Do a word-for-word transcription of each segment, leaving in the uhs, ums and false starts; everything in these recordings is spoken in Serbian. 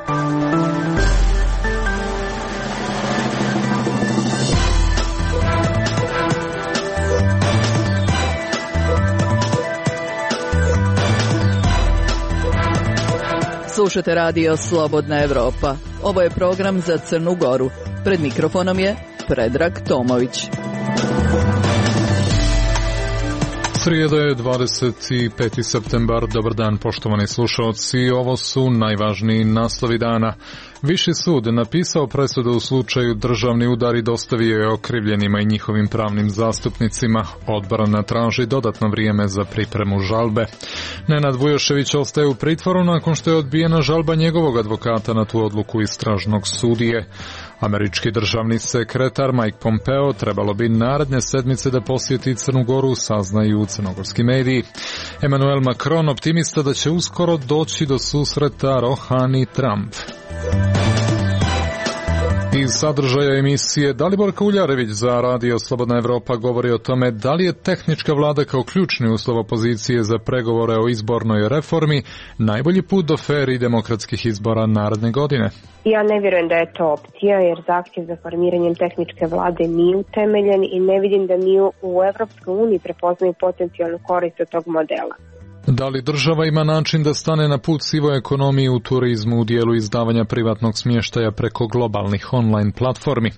Slušate radio Slobodna Evropa. Ovo je program za Crnu Goru. Pred mikrofonom je Predrag Tomović. Srijeda je dvadeset peti septembar. Dobar dan, poštovani slušalci. Ovo su najvažniji naslovi dana. Viši sud napisao presudu u slučaju državni udar i dostavio je okrivljenima i njihovim pravnim zastupnicima. Odbrana traži dodatno vrijeme za pripremu žalbe. Nenad Vujošević ostaje u pritvoru nakon što je odbijena žalba njegovog advokata na tu odluku istražnog sudije. Američki državni sekretar Mike Pompeo trebalo bi naredne sedmice da posjeti Crnu Goru, saznaju crnogorski mediji. Emmanuel Macron optimista da će uskoro doći do susreta Rohani-Trump. Iz sadržaja emisije Dalibor Kauljarević za radio Slobodna Evropa govori o tome da li je tehnička vlada kao ključni uslov opozicije za pregovore o izbornoj reformi najbolji put do fer i demokratskih izbora naredne godine. Ja ne vjerujem da je to opcija, jer zahtjev za formiranjem tehničke vlade nije utemeljen i ne vidim da mi u Evropskoj uniji prepoznaju potencijalnu korist od tog modela. Da li država ima način da stane na put sivoj ekonomiji u turizmu u dijelu izdavanja privatnog smještaja preko globalnih online platformi?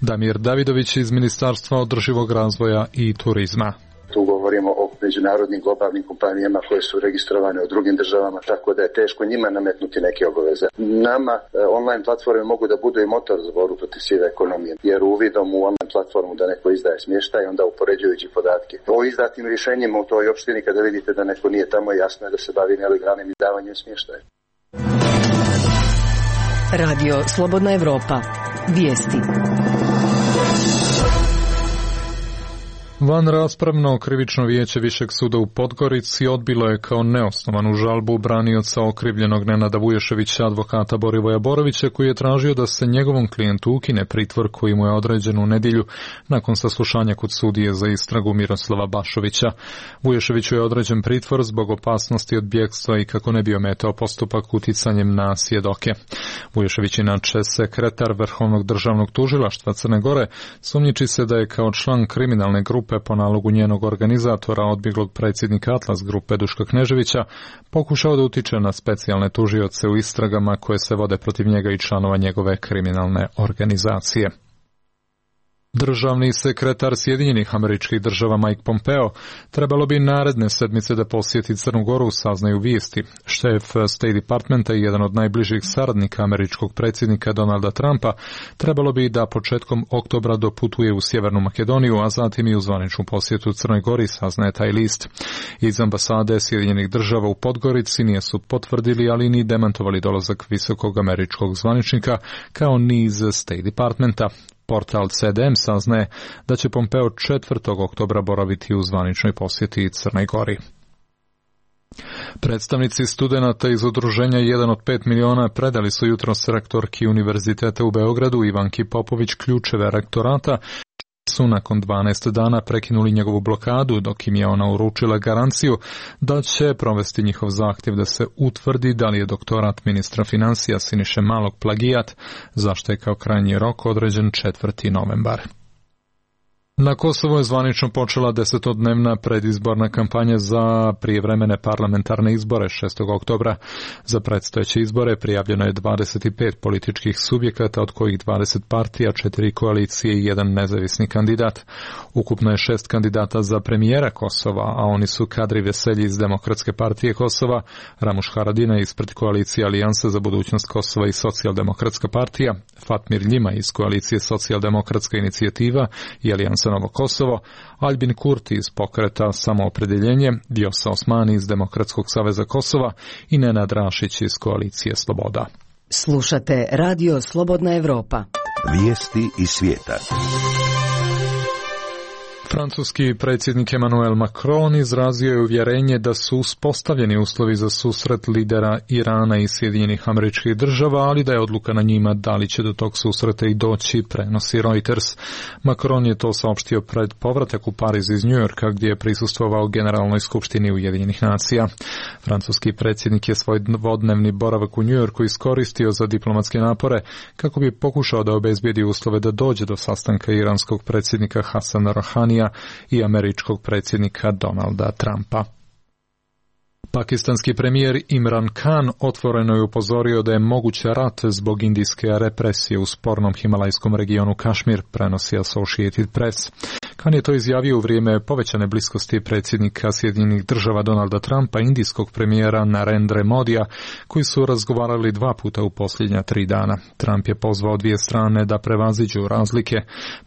Damir Davidović iz Ministarstva održivog razvoja i turizma. Tu govorimo o međunarodnim globalnim kompanijama koje su registrovane u drugim državama, tako da je teško njima nametnuti neke obaveze. Nama online platforme mogu da budu i motor za borbu protiv sive ekonomije, jer uvidom u online platformu da neko izdaje smještaj, onda upoređujući podatke o izdatim rješenjima u toj opštini, kada vidite da neko nije tamo, jasno je da se bavi nelegalnim izdavanjem smještaja. Radio Slobodna Evropa. Vijesti. Van raspravno krivično vijeće Višeg suda u Podgorici odbilo je kao neosnovanu žalbu branioca okrivljenog Nenada Vujoševića, advokata Borivoja Borovića, koji je tražio da se njegovom klijentu ukine pritvor koji mu je određen u nedjelju nakon saslušanja kod sudije za istragu Miroslava Bašovića. Vujoševiću je određen pritvor zbog opasnosti od bjegstva i kako ne bi ometao postupak uticanjem na svjedoke. Vujošević, inače sekretar Vrhovnog državnog tužilaštva Crne Gore, sumnjiči se da je kao član kriminalne grupe po nalogu njenog organizatora, odbjeglog predsjednika Atlas grupe Duška Kneževića, pokušao da utiče na specijalne tužioce u istragama koje se vode protiv njega i članova njegove kriminalne organizacije. Državni sekretar Sjedinjenih Američkih Država Mike Pompeo trebalo bi naredne sedmice da posjeti Crnu Goru, saznaju vijesti. Šef State Departmenta i jedan od najbližih saradnika američkog predsjednika Donalda Trumpa trebalo bi da početkom oktobra doputuje u Sjevernu Makedoniju, a zatim i u zvaničnu posjetu Crnoj Gori, saznaje taj list. Iz ambasade Sjedinjenih Država u Podgorici nisu potvrdili, ali ni demantovali dolazak visokog američkog zvaničnika, kao ni iz State Departmenta. Portal C D M saznaje da će Pompeo četvrtog oktobra boraviti u zvaničnoj posjeti Crnoj Gori. Predstavnici studenata iz udruženja jedan od pet miliona predali su jutros rektorki Univerziteta u Beogradu Ivanki Popović ključeve rektorata, su nakon dvanaest dana prekinuli njegovu blokadu, dok im je ona uručila garanciju da će provesti njihov zahtjev da se utvrdi da li je doktorat ministra financija Siniše Malog plagijat, zašto je kao krajnji rok određen četvrti novembar. Na Kosovu je zvanično počela desetodnevna predizborna kampanja za prijevremene parlamentarne izbore šestog oktobra. Za predstojeće izbore prijavljeno je dvadeset pet političkih subjekata, od kojih dvadeset partija, četiri koalicije i jedan nezavisni kandidat. Ukupno je šest kandidata za premijera Kosova, a oni su Kadri Veselji iz Demokratske partije Kosova, Ramuš Haradina ispred koalicije Alijansa za budućnost Kosova i Socijaldemokratska partija, Fatmir Ljima iz koalicije Socijaldemokratska inicijativa i Alijansa Novo Kosovo, Albin Kurti iz pokreta Samoopredjeljenje, Vjosa Osmani iz Demokratskog saveza Kosova i Nenad Rašić iz koalicije Sloboda. Slušate Radio Slobodna Evropa. Vijesti iz svijeta. Francuski predsjednik Emmanuel Macron izrazio je uvjerenje da su uspostavljeni uslovi za susret lidera Irana i Sjedinjenih Američkih Država, ali da je odluka na njima da li će do tog susreta i doći, prenosi Reuters. Macron je to saopštio pred povratak u Pariz iz Njujorka, gdje je prisustvovao Generalnoj skupštini Ujedinjenih nacija. Francuski predsjednik je svoj dvodnevni boravak u Njujorku iskoristio za diplomatske napore kako bi pokušao da obezbijedi uslove da dođe do sastanka iranskog predsjednika Hasana Rouhanija i američkog predsjednika Donalda Trumpa. Pakistanski premijer Imran Khan otvoreno je upozorio da je moguć rat zbog indijske represije u spornom himalajskom regionu Kašmir, prenosi Associated Press. Khan je to izjavio u vrijeme povećane bliskosti predsjednika Sjedinjenih Država Donalda Trumpa i indijskog premijera Narendra Modija, koji su razgovarali dva puta u posljednja tri dana. Trump je pozvao dvije strane da prevaziđu razlike.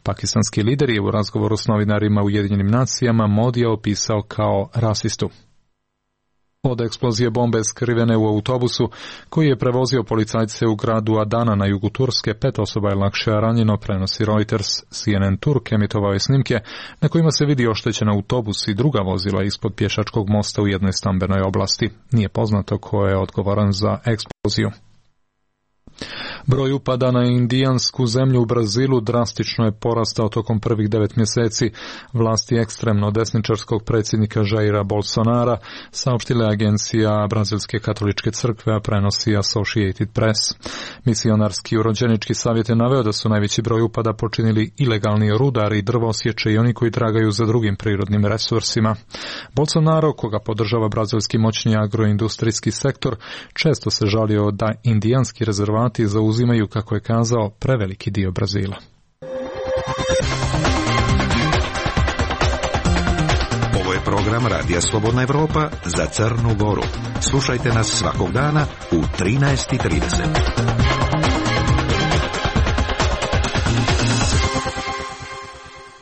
Pakistanski lider je u razgovoru s novinarima u Ujedinjenim nacijama Modija opisao kao rasistu. Od eksplozije bombe skrivene u autobusu koji je prevozio policajce u gradu Adana na jugu Turske, pet osoba je lakše ranjeno, prenosi Reuters. C N N Turk emitovao je snimke na kojima se vidi oštećen autobus i druga vozila ispod pješačkog mosta u jednoj stambenoj oblasti. Nije poznato ko je odgovoran za eksploziju. Broj upada na indijansku zemlju u Brazilu drastično je porastao tokom prvih devet mjeseci. Vlasti ekstremno desničarskog predsjednika Jaira Bolsonara saopštila je agencija Brazilske katoličke crkve, a prenosi Associated Press. Misionarski urođenički savjet je naveo da su najveći broj upada počinili ilegalni rudari, drvosječe i oni koji tragaju za drugim prirodnim resursima. Bolsonaro, koga podržava brazilski moćni agroindustrijski sektor, često se žalio da indijanski rezervati zauzimaju, kako je kazao, preveliki dio Brazila. Ovo je program Radija Slobodna Evropa za Crnu Goru. Slušajte nas svakog dana u trinaest i trideset.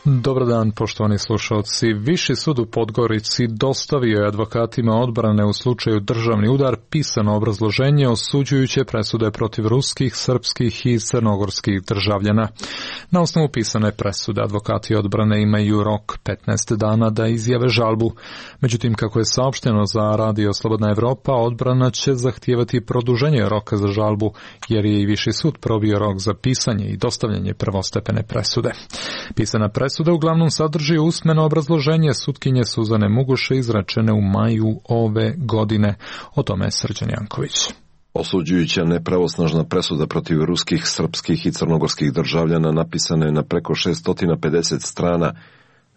Dobar dan, poštovani slušalci. Viši sud u Podgorici dostavio je advokatima odbrane u slučaju državni udar pisano obrazloženje osuđujuće presude protiv ruskih, srpskih i crnogorskih državljana. Na osnovu pisane presude advokati odbrane imaju rok petnaest dana da izjave žalbu. Međutim, kako je saopšteno za Radio Slobodna Evropa, odbrana će zahtijevati produženje roka za žalbu, jer je i Viši sud probio rok za pisanje i dostavljanje prvostepene presude. Pisana presuda Presuda uglavnom sadrži usmeno obrazloženje sutkinje Suzane Mugoše izrečene u maju ove godine. O tome je Srđan Janković. Osuđujuća nepravosnažna presuda protiv ruskih, srpskih i crnogorskih državljana napisana je na preko šesto pedeset strana.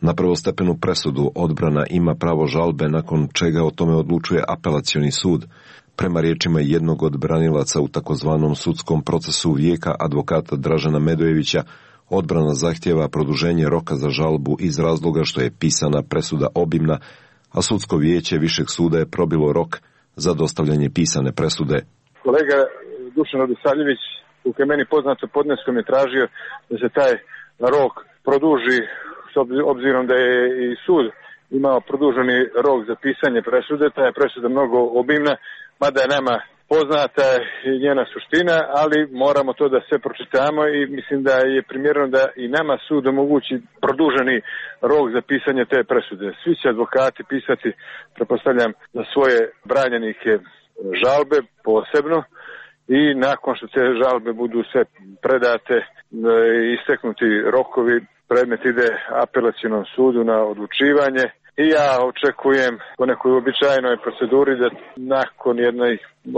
Na prvostepenu presudu odbrana ima pravo žalbe, nakon čega o tome odlučuje apelacioni sud. Prema riječima jednog od branilaca u takozvanom sudskom procesu vijeka, advokata Dražena Medojevića, odbrana zahtjeva produženje roka za žalbu iz razloga što je pisana presuda obimna, a sudsko vijeće Višeg suda je probilo rok za dostavljanje pisane presude. Kolega Dušan Radosavljević, koliko je meni poznato, podneskom je tražio da se taj rok produži, s obzirom da je i sud imao produženi rok za pisanje presude. Ta je presuda mnogo obimna, mada je nama poznata i njena suština, ali moramo to da sve pročitamo i mislim da je primjereno da i nama sud omogući produženi rok za pisanje te presude. Svi će advokati pisati, pretpostavljam, za svoje branjenike žalbe posebno i nakon što te žalbe budu sve predate i isteknuti rokovi, predmet ide apelacionom sudu na odlučivanje. I ja očekujem po nekoj uobičajenoj proceduri da nakon jednej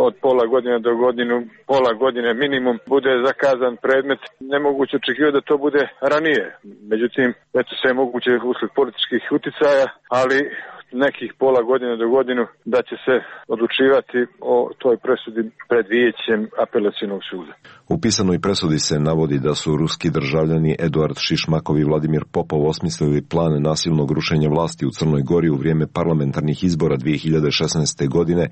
od pola godine do godinu, pola godine minimum, bude zakazan predmet. Nemoguće očekivati da to bude ranije. Međutim, eto sve je moguće usled političkih uticaja, ali nekih pola godine do godinu da će se odlučivati o toj presudi pred vijećem apelacionog suda. U pisanoj presudi se navodi da su ruski državljani Eduard Šišmakov i Vladimir Popov osmislili plan nasilnog rušenja vlasti u Crnoj Gori u vrijeme parlamentarnih izbora dvije hiljade šesnaeste. godine,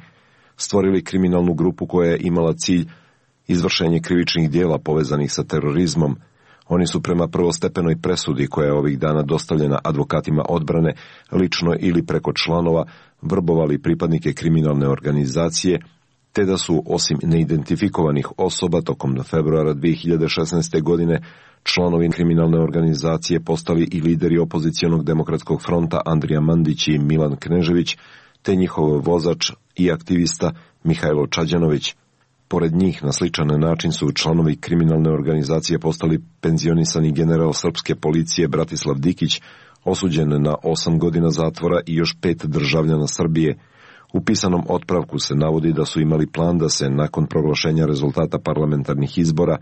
stvorili kriminalnu grupu koja je imala cilj izvršenje krivičnih dijela povezanih sa terorizmom. Oni su prema prvostepenoj presudi, koja je ovih dana dostavljena advokatima odbrane, lično ili preko članova, vrbovali pripadnike kriminalne organizacije, te da su, osim neidentifikovanih osoba, tokom februara dvije hiljade šesnaeste. godine Članovi kriminalne organizacije postali i lideri opozicionog demokratskog fronta Andrija Mandić i Milan Knežević, te njihov vozač i aktivista Mihajlo Čađanović. Pored njih, na sličan način su članovi kriminalne organizacije postali penzionisani general srpske policije Bratislav Dikić, osuđen na osam godina zatvora, i još pet državljana Srbije. U pisanom otpravku se navodi da su imali plan da se nakon proglašenja rezultata parlamentarnih izbora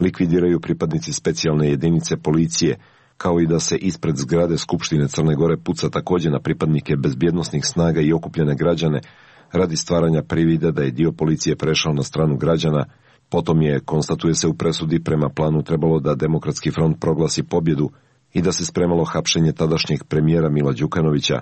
likvidiraju pripadnici specijalne jedinice policije, kao i da se ispred zgrade Skupštine Crne Gore puca također na pripadnike bezbjednosnih snaga i okupljene građane radi stvaranja privida da je dio policije prešao na stranu građana. Potom je, konstatuje se u presudi, prema planu trebalo da Demokratski front proglasi pobjedu i da se spremalo hapšenje tadašnjeg premijera Mila Đukanovića.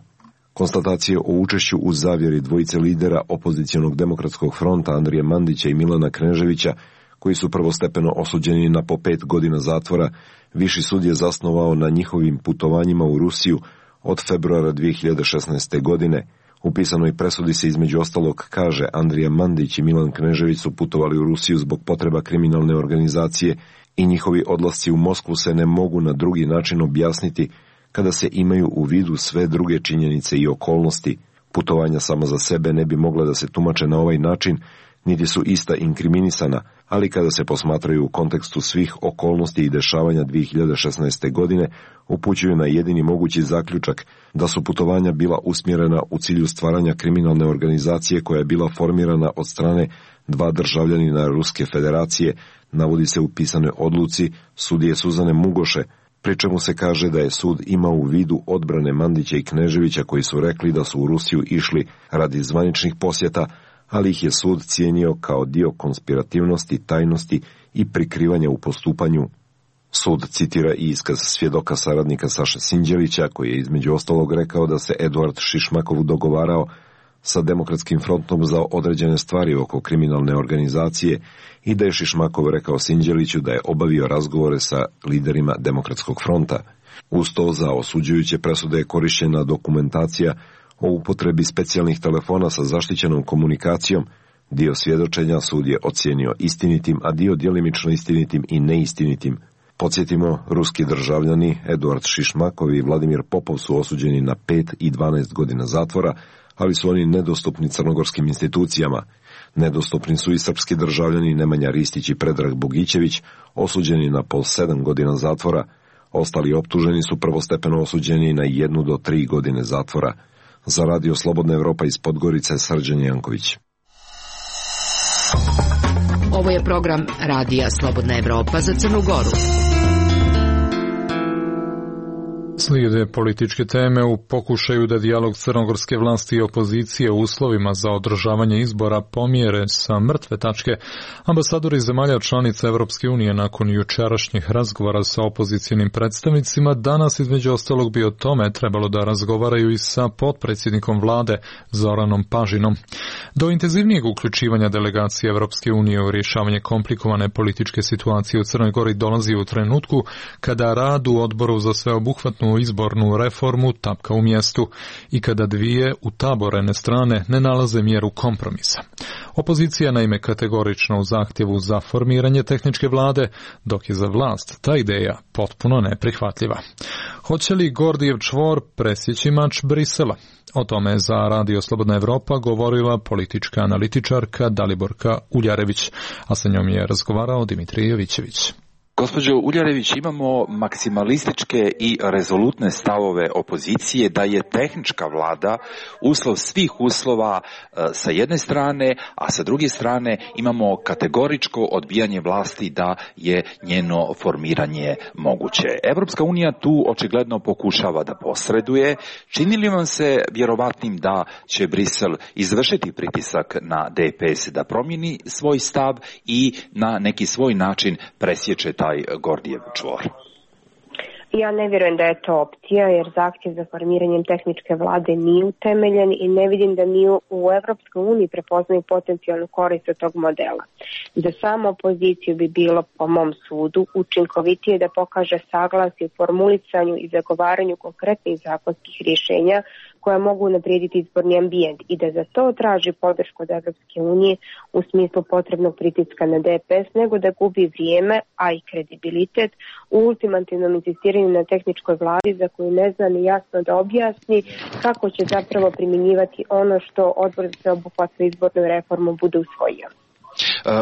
Konstatacije o učešću u zavjeri dvojice lidera opozicionog demokratskog fronta Andrije Mandića i Milana Kneževića, koji su prvostepeno osuđeni na po pet godina zatvora, Viši sud je zasnovao na njihovim putovanjima u Rusiju od februara dvije hiljade šesnaeste. godine. U pisanoj presudi se između ostalog kaže: Andrija Mandić i Milan Knežević su putovali u Rusiju zbog potreba kriminalne organizacije i njihovi odlasci u Moskvu se ne mogu na drugi način objasniti kada se imaju u vidu sve druge činjenice i okolnosti. Putovanja sama za sebe ne bi mogla da se tumače na ovaj način, niti su ista inkriminisana, ali kada se posmatraju u kontekstu svih okolnosti i dešavanja dvije hiljade šesnaeste. godine, upućuju na jedini mogući zaključak da su putovanja bila usmjerena u cilju stvaranja kriminalne organizacije koja je bila formirana od strane dva državljanina Ruske federacije, navodi se u pisanoj odluci sudije Suzane Mugoše, pri čemu se kaže da je sud imao u vidu odbrane Mandića i Kneževića koji su rekli da su u Rusiju išli radi zvaničnih posjeta, ali ih je sud cijenio kao dio konspirativnosti, tajnosti i prikrivanja u postupanju. Sud citira i iskaz svjedoka saradnika Saše Sinđelića, koji je između ostalog rekao da se Eduard Šišmakov dogovarao sa Demokratskim frontom za određene stvari oko kriminalne organizacije i da je Šišmakov rekao Sinđeliću da je obavio razgovore sa liderima Demokratskog fronta. Uz to za osuđujuće presude je korišćena dokumentacija o upotrebi specijalnih telefona sa zaštićenom komunikacijom. Dio svjedočenja sud je ocijenio istinitim, a dio djelimično istinitim i neistinitim. Podsjetimo, ruski državljani Eduard Šišmakov i Vladimir Popov su osuđeni na pet i dvanaest godina zatvora, ali su oni nedostupni crnogorskim institucijama. Nedostupni su i srpski državljani Nemanja Ristić i Predrag Bogićević, osuđeni na po sedam godina zatvora. Ostali optuženi su prvostepeno osuđeni na jednu do tri godine zatvora. Za Radio Slobodna Evropa iz Podgorice, Srđan Janković. Ovo je program Radija Slobodna Evropa za Crnu Goru. Slijede političke teme. U pokušaju da dijalog crnogorske vlasti i opozicije u uslovima za održavanje izbora pomjere sa mrtve tačke, ambasadori zemalja članica Evropske unije nakon jučerašnjih razgovora sa opozicionim predstavnicima danas između ostalog bi o tome trebalo da razgovaraju i sa potpredsjednikom vlade Zoranom Pažinom. Do intenzivnijeg uključivanja delegacije Evropske unije u rješavanje komplikovane političke situacije u Crnoj Gori dolazi u trenutku kada rad u odboru za sveobuhvatnu izbornu reformu tapka u mjestu i kada dvije utaborene strane ne nalaze mjeru kompromisa. Opozicija naime kategorično u zahtjevu za formiranje tehničke vlade, dok je za vlast ta ideja potpuno neprihvatljiva. Hoće li Gordijev čvor presjeći mač Brisela? O tome je za Radio Slobodna Evropa govorila politička analitičarka Daliborka Uljarević, a sa njom je razgovarao Dimitrij Jovićević. Gospođo Uljarević, imamo maksimalističke i rezolutne stavove opozicije da je tehnička vlada uslov svih uslova sa jedne strane, a sa druge strane imamo kategoričko odbijanje vlasti da je njeno formiranje moguće. Evropska unija tu očigledno pokušava da posreduje. Čini li vam se vjerovatnim da će Brisel izvršiti pritisak na D P S da promijeni svoj stav i na neki svoj način presječe taj Gordijev čvor? Ja ne vjerujem da je to opcija, jer zahtjev za formiranjem tehničke vlade nije utemeljen i ne vidim da mi u Evropskoj uniji prepoznaju potencijalnu korist od tog modela. Za samu opoziciju bi bilo, po mom sudu, učinkovitije da pokaže saglasje u formulisanju i zagovaranju konkretnih zakonskih rješenja koja mogu unaprijediti izborni ambijent i da za to traži podršku od Evropske unije u smislu potrebnog pritiska na D P S, nego da gubi vrijeme, a i kredibilitet u ultimativnom insistiranju na tehničkoj vladi za koju ne zna ni jasno da objasni kako će zapravo primjenjivati ono što Odbor za sveobuhvatnu izbornu reformu bude usvojio.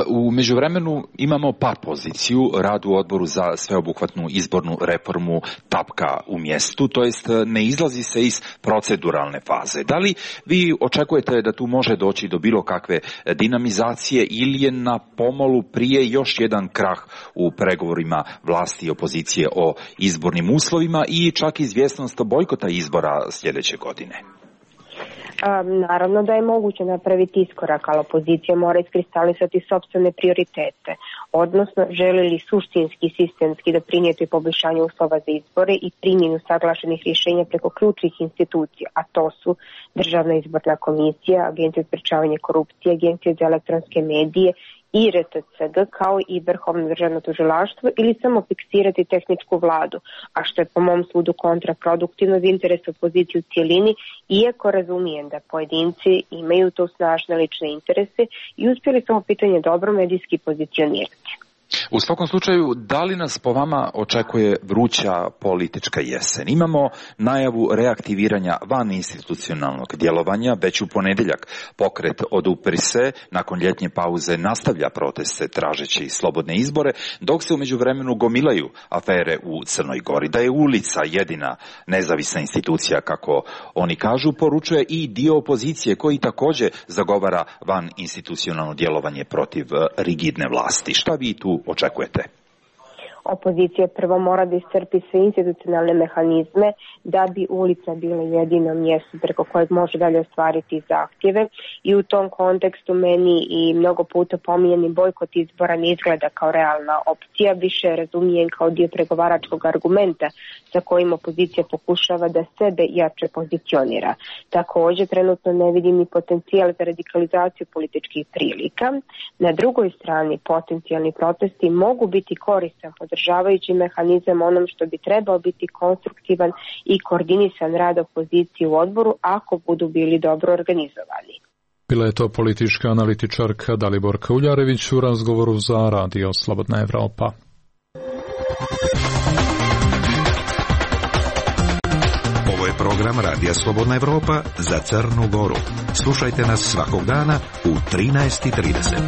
U međuvremenu imamo par poziciju, rad u Odboru za sveobuhvatnu izbornu reformu tapka u mjestu, to jest ne izlazi se iz proceduralne faze. Da li vi očekujete da tu može doći do bilo kakve dinamizacije ili je na pomolu prije još jedan krah u pregovorima vlasti i opozicije o izbornim uslovima i čak izvjesnost bojkota izbora sljedeće godine? Um, naravno da je moguće napraviti iskorak, ali opozicija mora iskristalisati sopstvene prioritete, odnosno želi li suštinski, sistemski doprinijeti poboljšanju uslova za izbore i primjenu saglašenih rješenja preko ključnih institucija, a to su Državna izborna komisija, Agencija za sprečavanje korupcije, Agencija za elektronske medije i R T C G kao i Vrhovno državno tužilaštvo, ili samo fiksirati tehničku vladu, a što je po mom sudu kontraproduktivno za interes opozicije u cijelini, iako razumijem da pojedinci imaju tu snažne lične interese i uspjeli smo pitanje dobro medijski pozicionirati. U svakom slučaju, da li nas po vama očekuje vruća politička jesen? Imamo najavu reaktiviranja van institucionalnog djelovanja, već u ponedjeljak pokret Odupri se nakon ljetnje pauze nastavlja proteste tražeći slobodne izbore, dok se u međuvremenu gomilaju afere u Crnoj Gori. Da je ulica jedina nezavisna institucija, kako oni kažu, poručuje i dio opozicije koji također zagovara van institucionalno djelovanje protiv rigidne vlasti. Šta vi tu očekujete? Opozicija prvo mora da iscrpi sve institucionalne mehanizme da bi ulica bila jedino mjesto preko kojeg može dalje ostvariti zahtjeve, i u tom kontekstu meni i mnogo puta pominjeni bojkot izbora ne izgleda kao realna opcija, više razumijem kao dio pregovaračkog argumenta sa kojim opozicija pokušava da sebe jače pozicionira. Također trenutno ne vidim ni potencijal za radikalizaciju političkih prilika. Na drugoj strani potencijalni protesti mogu biti koristan podržavajući mehanizam onom što bi trebao biti konstruktivan i koordinisan rad opozicije u odboru ako budu bili dobro organizovani. Bila je to politička analitičarka Daliborka Uljarević u razgovoru za Radio Slobodna Evropa. Ovo je program Radija Slobodna Evropa za Crnu Goru. Slušajte nas svakog dana u trinaest i trideset.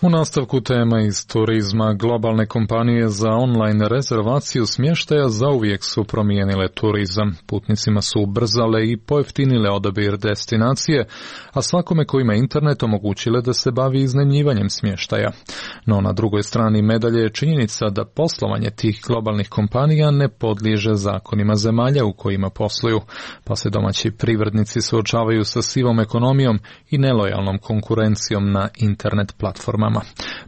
U nastavku tema iz turizma, globalne kompanije za online rezervaciju smještaja zauvijek su promijenile turizam. Putnicima su ubrzale i pojeftinile odabir destinacije, a svakome ko ima internet omogućile da se bavi iznajmljivanjem smještaja. No na drugoj strani medalje je činjenica da poslovanje tih globalnih kompanija ne podliježe zakonima zemalja u kojima posluju, pa se domaći privrednici suočavaju sa sivom ekonomijom i nelojalnom konkurencijom na internet platformama.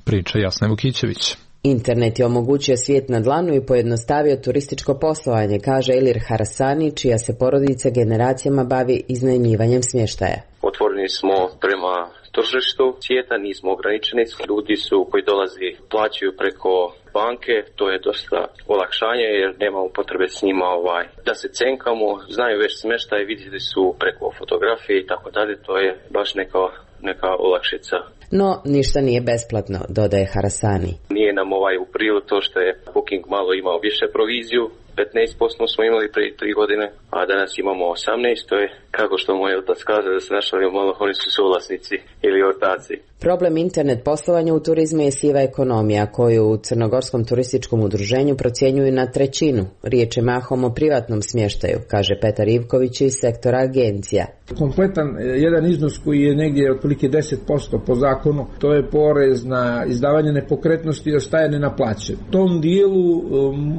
Priča Jasne Vukićević. Internet je omogućio svijet na dlanu i pojednostavio turističko poslovanje, kaže Elir Harasani, čija se porodica generacijama bavi iznajmljivanjem smještaja. Otvoreni smo prema tržištu svijeta, nismo ograničeni. Ljudi su koji dolazi plaćaju preko banke, to je dosta olakšanje jer nemamo potrebe s njima ovaj, da se cenkamo, znaju već smještaj, vidjeli su preko fotografije i tako dalje, to je baš neka, neka olakšica. No, ništa nije besplatno, dodaje Harasani. Nije nam ovaj u prilog to što je Booking malo imao više proviziju, petnaest posto smo imali prije tri godine, a danas imamo osamnaest, to je kako što moj otac kaže da se našali malo, oni su suvlasnici ili ortaci. Problem internet poslovanja u turizmu je siva ekonomija koju u Crnogorskom turističkom udruženju procjenjuju na trećinu. Riječ je mahom o privatnom smještaju, kaže Petar Ivković iz sektora agencija. Kompletan jedan iznos koji je negdje otprilike deset posto po zakonu, to je porez na izdavanje nepokretnosti i ostaje nenaplaćen. U tom dijelu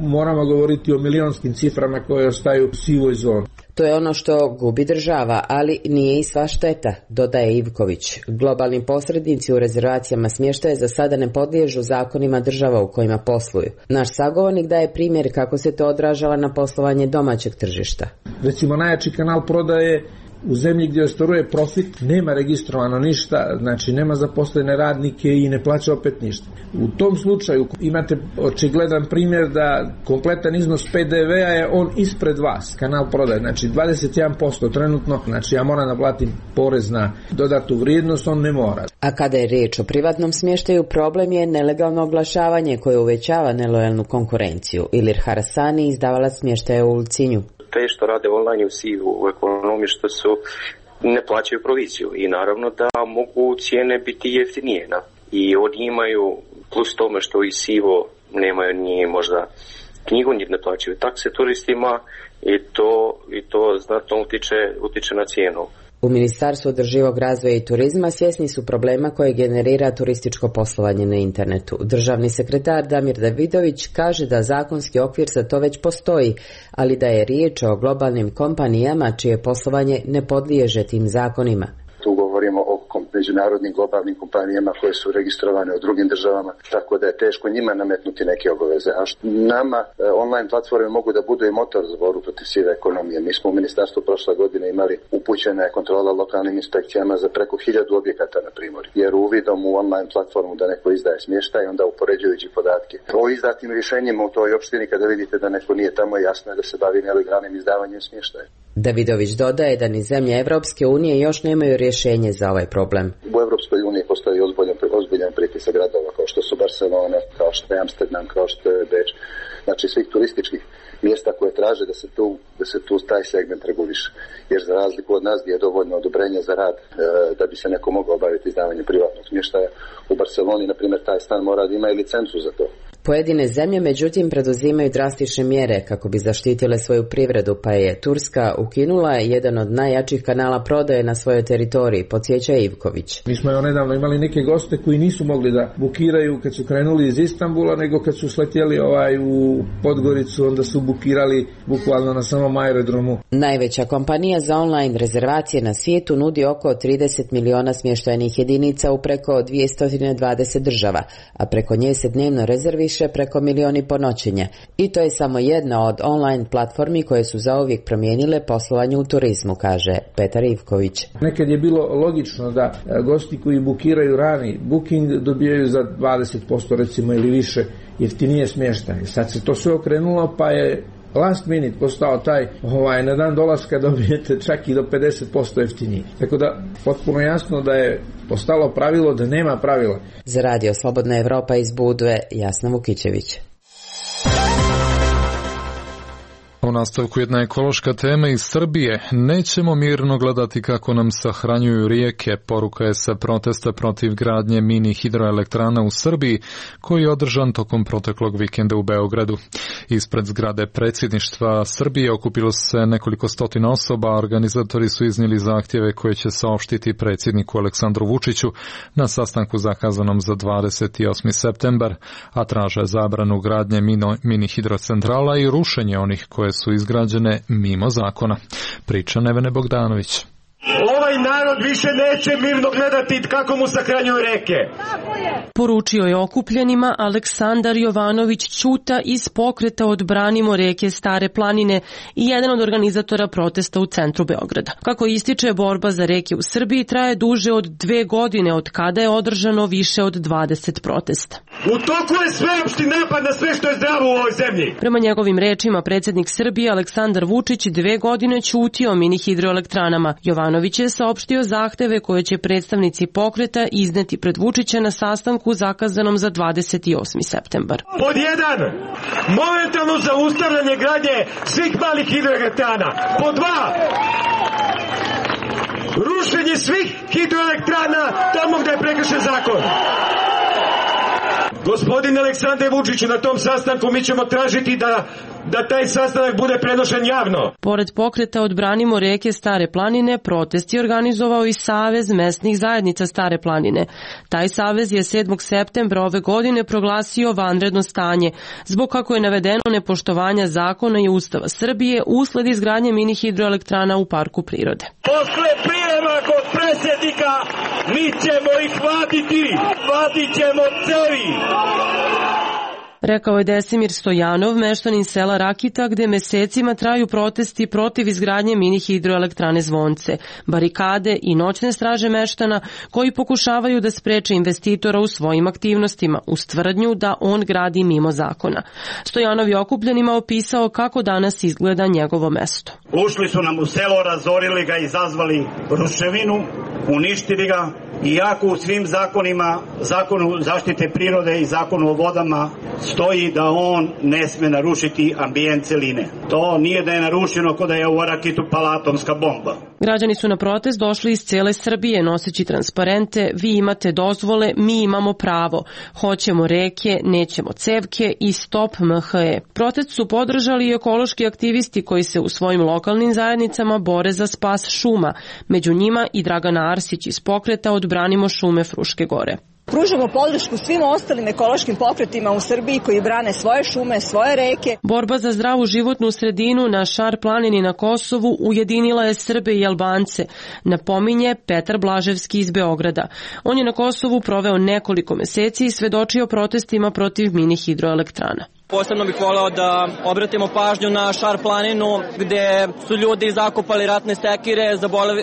moramo govoriti o milionskim ciframa koje ostaju u sivoj zoni. To je ono što gubi država, ali nije i sva šteta, dodaje Ivković. Globalni posrednici u rezervacijama smještaja za sada ne podliježu zakonima država u kojima posluju. Naš sagovornik daje primjer kako se to odražava na poslovanje domaćeg tržišta. Recimo najjači kanal prodaje U zemlji gdje ostvaruje profit nema registrovano ništa, znači nema zaposlene radnike i ne plaća opet ništa. U tom slučaju imate očigledan primjer da kompletan iznos P D V-a je on ispred vas, kanal prodaje, znači dvadeset jedan posto trenutno, znači ja moram da platim porez na dodatu vrijednost, on ne mora. A kada je riječ o privatnom smještaju, problem je nelegalno oglašavanje koje uvećava nelojalnu konkurenciju. Ilir Harasani, izdavalac smještaja u Ulcinju. Te što rade online u sivu u ekonomiji što su ne plaćaju proviziju i naravno da mogu cijene biti jeftinije. Na? I oni imaju plus tome što i sivo nemaju ni možda knjigu, ni ne plaćaju takse turistima i to, i to znatno utiče, utiče na cijenu. U Ministarstvu održivog razvoja i turizma svjesni su problema koje generira turističko poslovanje na internetu. Državni sekretar Damir Davidović kaže da zakonski okvir za to već postoji, ali da je riječ o globalnim kompanijama čije poslovanje ne podliježe tim zakonima. Tu govorimo o međunarodnim globalnim kompanijama koje su registrovane u drugim državama, tako da je teško njima nametnuti neke obaveze. A nama online platforme mogu da budu i motor za borbu protiv sive ekonomije. Mi smo u ministarstvu prošle godine imali upućena je kontrola lokalnim inspekcijama za preko hiljadu objekata na Primorju. Jer uvidom u online platformu da neko izdaje smještaj, onda upoređujući podatke o izdatim rješenjima u toj opštini, kada vidite da neko nije tamo, jasno je da se bavi nelegalnim izdavanjem smještaja. Davidović dodaje da ni zemlje Evropske unije još nemaju rješenje za ovaj problem. U Evropskoj uniji postoji ozbiljan, ozbiljan pritisak gradova kao što su Barcelona, kao što je Amsterdam, kao što je Beč, znači svih turističkih mjesta koje traže da se tu, da se tu taj segment reguliše. Jer za razliku od nas gdje je dovoljno odobrenje za rad e, da bi se neko mogao obaviti izdavanje privatnog smještaja, u Barceloni, na primjer, taj stan mora da ima i licencu za to. Pojedine zemlje, međutim, preduzimaju drastične mjere kako bi zaštitile svoju privredu, pa je Turska ukinula jedan od najjačih kanala prodaje na svojoj teritoriji, podsjeća Ivković. Mi smo nedavno imali neke goste koji nisu mogli da bukiraju kad su krenuli iz Istanbula, nego kad su sletjeli ovaj u Podgoricu, onda su bukirali bukvalno na samom aerodromu. Najveća kompanija za online rezervacije na svijetu nudi oko trideset miliona smještajnih jedinica u preko dvjesto dvadeset država, a preko nje se dnevno rezerviše preko milioni po noćenje. I to je samo jedna od online platformi koje su zauvijek promijenile poslovanje u turizmu, kaže Petar Ivković. Nekad je bilo logično da gosti koji bukiraju rani booking dobijaju za dvadeset posto recimo ili više jeftinije smještaj. Sad se to sve okrenulo pa je last minute postao taj ovaj, na dan dolaska dobijete čak i do pedeset posto jeftinije. Tako da potpuno jasno da je postalo pravilo da nema pravila. Za Radio Slobodna Evropa iz Budve, Jasna Vukićević. U nastavku jedna ekološka tema iz Srbije. Nećemo mirno gledati kako nam sahranjuju rijeke, poruka je sa protesta protiv gradnje mini hidroelektrana u Srbiji, koji je održan tokom proteklog vikenda u Beogradu. Ispred zgrade predsjedništva Srbije okupilo se nekoliko stotina osoba, a organizatori su iznijeli zahtjeve koje će saopštiti predsjedniku Aleksandru Vučiću na sastanku zakazanom za dvadeset osmi septembar, a traže zabranu gradnje mini hidrocentrala i rušenje onih koje su izgrađene mimo zakona. Priča Nevene Bogdanović. Ovaj narod više neće mirno gledati kako mu sahranjuju reke. Poručio je okupljenima Aleksandar Jovanović Ćuta iz pokreta Odbranimo reke Stare planine i jedan od organizatora protesta u centru Beograda. Kako ističe, borba za reke u Srbiji traje duže od dve godine od kada je održano više od dvadeset protesta. U toku je sveopšti napad na sve što je zdravo u ovoj zemlji. Prema njegovim rečima, predsjednik Srbije Aleksandar Vučić dve godine ćutio mini hidroelektranama. Jovanović je saopštio zahteve koje će predstavnici pokreta izneti pred Vučića na sastanku zakazanom za dvadeset osmi septembar. Pod jedan, momentalno zaustavljanje gradnje svih malih hidroelektrana. Pod dva, rušenje svih hidroelektrana tamo gdje je prekršen zakon. Gospodin Aleksandar Vučić, na tom sastanku mi ćemo tražiti da da taj sastanak bude prenošen javno. Pored pokreta Odbranimo reke Stare planine, protest je organizovao i Savez mesnih zajednica Stare planine. Taj savez je sedmog septembra ove godine proglasio vanredno stanje, zbog kako je navedeno nepoštovanja zakona i Ustava Srbije usled izgradnje mini hidroelektrana u parku prirode. Posle prijema kod predsjednika mi ćemo ih vaditi, vadit ćemo cevi. Rekao je Desimir Stojanov, meštanin sela Rakita, gde mesecima traju protesti protiv izgradnje mini hidroelektrane Zvonce, barikade i noćne straže meštana koji pokušavaju da spreče investitora u svojim aktivnostima, uz tvrdnju da on gradi mimo zakona. Stojanov je okupljenima opisao kako danas izgleda njegovo mesto. Ušli su nam u selo, razorili ga, izazvali ruševinu, uništili ga, iako u svim zakonima, zakonu zaštite prirode i zakonu o vodama, stoji da on ne sme narušiti ambijent celine. To nije da je narušeno kod da je u Rakitu pala atomska bomba. Građani su na protest došli iz cele Srbije noseći transparente "Vi imate dozvole, mi imamo pravo. Hoćemo reke, nećemo cevke" i "Stop M H E". Protest su podržali i ekološki aktivisti koji se u svojim lokalnim zajednicama bore za spas šuma. Među njima i Dragana Arsić iz pokreta Odbranimo šume Fruške Gore. Pružamo podršku svim ostalim ekološkim pokretima u Srbiji koji brane svoje šume, svoje reke. Borba za zdravu životnu sredinu na Šar planini na Kosovu ujedinila je Srbe i Albance, napominje Petar Blaževski iz Beograda. On je na Kosovu proveo nekoliko meseci i svedočio protestima protiv mini hidroelektrana. Posebno bih voleo da obratimo pažnju na Šar planinu gde su ljudi zakopali ratne sekire,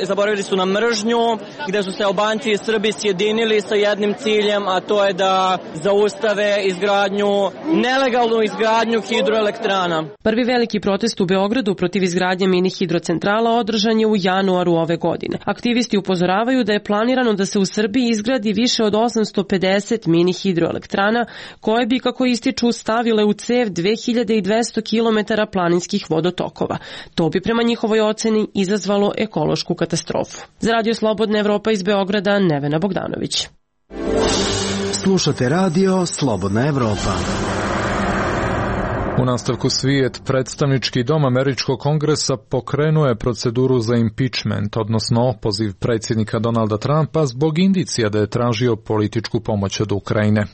zaboravili su na mržnju, gde su se Albanci i Srbi sjedinili sa jednim ciljem, a to je da zaustave izgradnju, nelegalnu izgradnju hidroelektrana. Prvi veliki protest u Beogradu protiv izgradnje mini hidrocentrala održan je u januaru ove godine. Aktivisti upozoravaju da je planirano da se u Srbiji izgradi više od osamsto pedeset mini hidroelektrana koje bi, kako ističu, stavile u cev dve hiljade dvesta kilometara planinskih vodotokova. To bi prema njihovoj oceni izazvalo ekološku katastrofu. Za Radio Slobodna Evropa iz Beograda, Nevena Bogdanović. Slušate Radio Slobodna Evropa. U nastavku svijet, predstavnički dom Američkog kongresa pokrenuo je proceduru za impeachment, odnosno opoziv predsjednika Donalda Trumpa zbog indicija da je tražio političku pomoć od Ukrajine.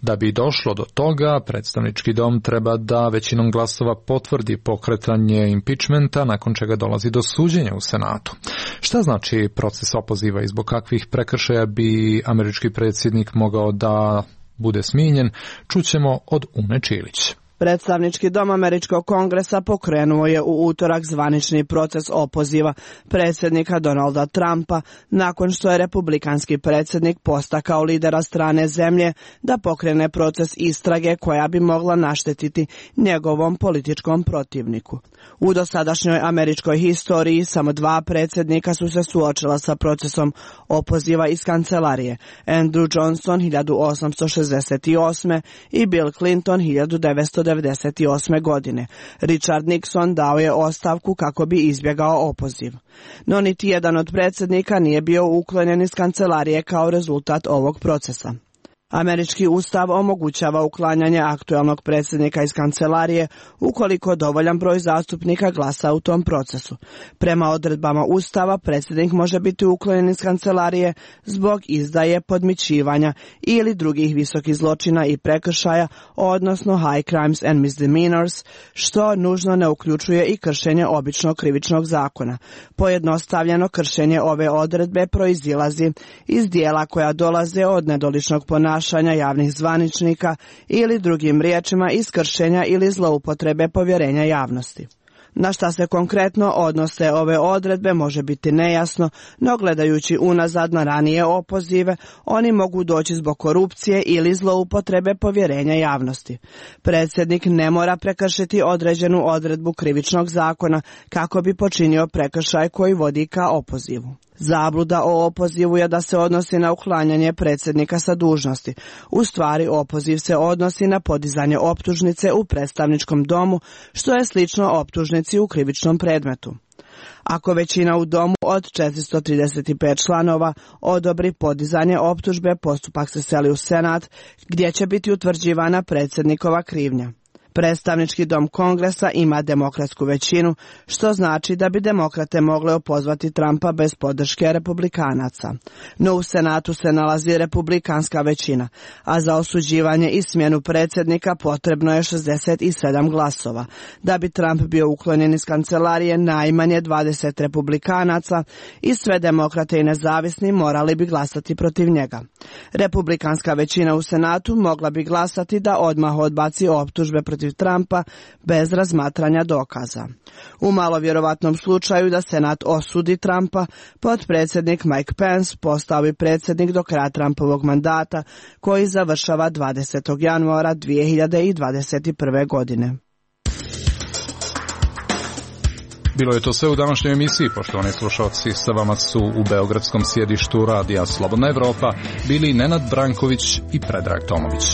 Da bi došlo do toga, predstavnički dom treba da većinom glasova potvrdi pokretanje impeachmenta, nakon čega dolazi do suđenja u Senatu. Šta znači proces opoziva i zbog kakvih prekršaja bi američki predsjednik mogao da bude smijenjen, čućemo od Une Čilić. Predstavnički dom Američkog kongresa pokrenuo je u utorak zvanični proces opoziva predsjednika Donalda Trumpa nakon što je republikanski predsjednik postakao lidera strane zemlje da pokrene proces istrage koja bi mogla naštetiti njegovom političkom protivniku. U dosadašnjoj američkoj historiji samo dva predsjednika su se suočila sa procesom opoziva iz kancelarije, Andrew Johnson hiljadu osamsto šezdeset osme i Bill Clinton hiljadu devetsto devedeset osme. godine. Richard Nixon dao je ostavku kako bi izbjegao opoziv. No niti jedan od predsjednika nije bio uklonjen iz kancelarije kao rezultat ovog procesa. Američki ustav omogućava uklanjanje aktuelnog predsjednika iz kancelarije ukoliko dovoljan broj zastupnika glasa u tom procesu. Prema odredbama ustava predsjednik može biti uklonjen iz kancelarije zbog izdaje, podmićivanja ili drugih visokih zločina i prekršaja, odnosno high crimes and misdemeanors, što nužno ne uključuje i kršenje običnog krivičnog zakona. Pojednostavljeno, kršenje ove odredbe proizilazi iz dijela koja dolaze od nedoličnog ponašanja javnih zvaničnika ili drugim riječima iz kršenja ili zloupotrebe povjerenja javnosti. Na šta se konkretno odnose ove odredbe može biti nejasno, no gledajući unazad na ranije opozive, oni mogu doći zbog korupcije ili zloupotrebe povjerenja javnosti. Predsjednik ne mora prekršiti određenu odredbu krivičnog zakona kako bi počinio prekršaj koji vodi ka opozivu. Zabluda o opozivu je da se odnosi na uklanjanje predsjednika sa dužnosti. U stvari, opoziv se odnosi na podizanje optužnice u predstavničkom domu, što je slično optužnici u krivičnom predmetu. Ako većina u domu od četiristo trideset pet članova odobri podizanje optužbe, postupak se seli u Senat, gdje će biti utvrđivana predsjednikova krivnja. Predstavnički dom Kongresa ima demokratsku većinu, što znači da bi demokrate mogle opozvati Trumpa bez podrške republikanaca. No u Senatu se nalazi republikanska većina, a za osuđivanje i smjenu predsjednika potrebno je šezdeset sedam glasova. Da bi Trump bio uklonjen iz kancelarije, najmanje dvadeset republikanaca i sve demokrate i nezavisni morali bi glasati protiv njega. Republikanska većina u Senatu mogla bi glasati da odmah odbaci optužbe protiv Trumpa bez razmatranja dokaza. U malo vjerovatnom slučaju da Senat osudi Trumpa, potpredsjednik Mike Pence postao bi predsjednik do kraja Trumpovog mandata, koji završava dvadesetog januara dvije hiljade dvadeset prve. godine. Bilo je to sve u današnjoj emisiji, poštovani slušalci. Sa vama su u beogradskom sjedištu Radija Slobodna Evropa bili Nenad Branković i Predrag Tomović.